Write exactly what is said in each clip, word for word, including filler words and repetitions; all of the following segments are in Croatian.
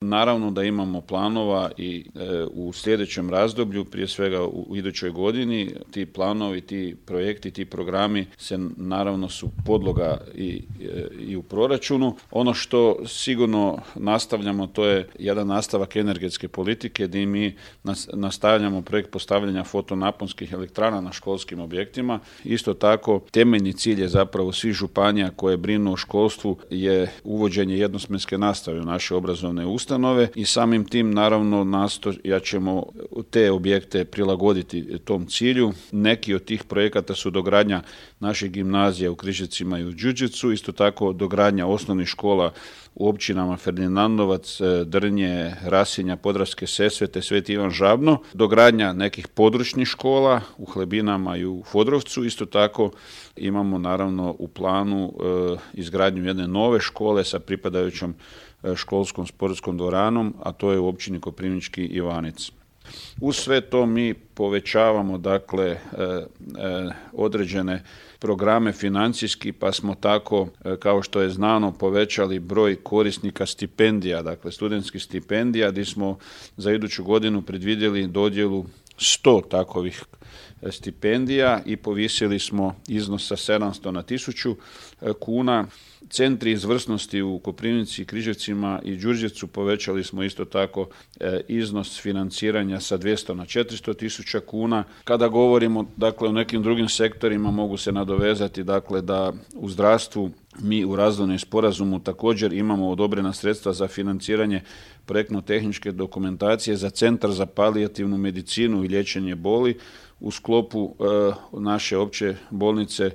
Naravno da imamo planova i e, u sljedećem razdoblju, prije svega u, u idućoj godini, ti planovi, ti projekti, ti programi se naravno su podloga i, e, i u proračunu. Ono što sigurno nastavljamo, to je jedan nastavak energetske politike gdje mi nas, nastavljamo projekt postavljanja fotonaponskih elektrana na školskim objektima. Isto tako, temeljni cilj je zapravo svih županija koje brinu o školstvu je uvođenje jednosmjenske nastave u naše obrazovne ustanove. I samim tim naravno nastojat ćemo te objekte prilagoditi tom cilju. Neki od tih projekata su dogradnja naših gimnazija u Križevcima i u Đurđevcu, isto tako dogradnja osnovnih škola u općinama Ferdinandovac, Drnje, Rasinja, Podravske Sesvete, Sveti Ivan Žabno, dogradnja nekih područnih škola u Hlebinama i u Fodrovcu. Isto tako imamo naravno u planu e, izgradnju jedne nove škole sa pripadajućom školskom sportskom dvoranom, a to je u općini Koprivnički Ivanec. Uz sve to mi povećavamo dakle e, e, određene programe financijski, pa smo tako, e, kao što je znano, povećali broj korisnika stipendija, dakle studentskih stipendija, gdje smo za iduću godinu predvidjeli dodjelu sto takovih stipendija i povisili smo iznos sa sedamsto na tisuću kuna. Centri izvrsnosti u Koprivnici, Križevcima i Đurđevcu povećali smo isto tako e, iznos financiranja sa dvjesto na četiristo tisuća kuna. Kada govorimo dakle o nekim drugim sektorima, mogu se nadovezati dakle da u zdravstvu mi u razvojnom sporazumu također imamo odobrena sredstva za financiranje projektno-tehničke dokumentacije za Centar za palijativnu medicinu i liječenje boli u sklopu e, naše opće bolnice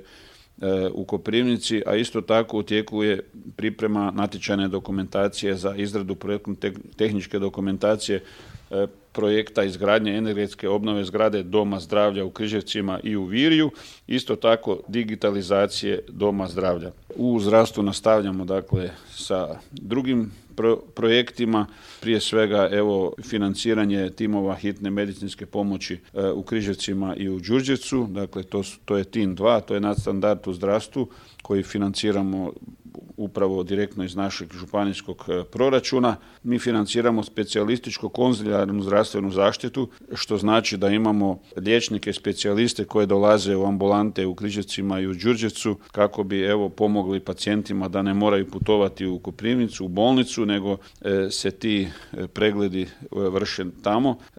u Koprivnici, a isto tako u tijeku je priprema natječajne dokumentacije za izradu projektno-tehničke dokumentacije projekta izgradnje energetske obnove zgrade Doma zdravlja u Križevcima i u Virju, isto tako digitalizacije Doma zdravlja. U zdravstvu nastavljamo dakle sa drugim pro- projektima, prije svega evo financiranje timova hitne medicinske pomoći e, u Križevcima i u Đurđevcu, dakle to, to je tim dva, to je nadstandard u zdravstvu koji financiramo upravo direktno iz našeg županijskog proračuna. Mi financiramo specijalističko-konzilijarnu zdravstvenu zaštitu, što znači da imamo liječnike specijaliste koje dolaze u ambulante u Križevcima i u Đurđevcu kako bi evo pomogli pacijentima da ne moraju putovati u Koprivnicu, u bolnicu, nego e, se ti pregledi vrše tamo.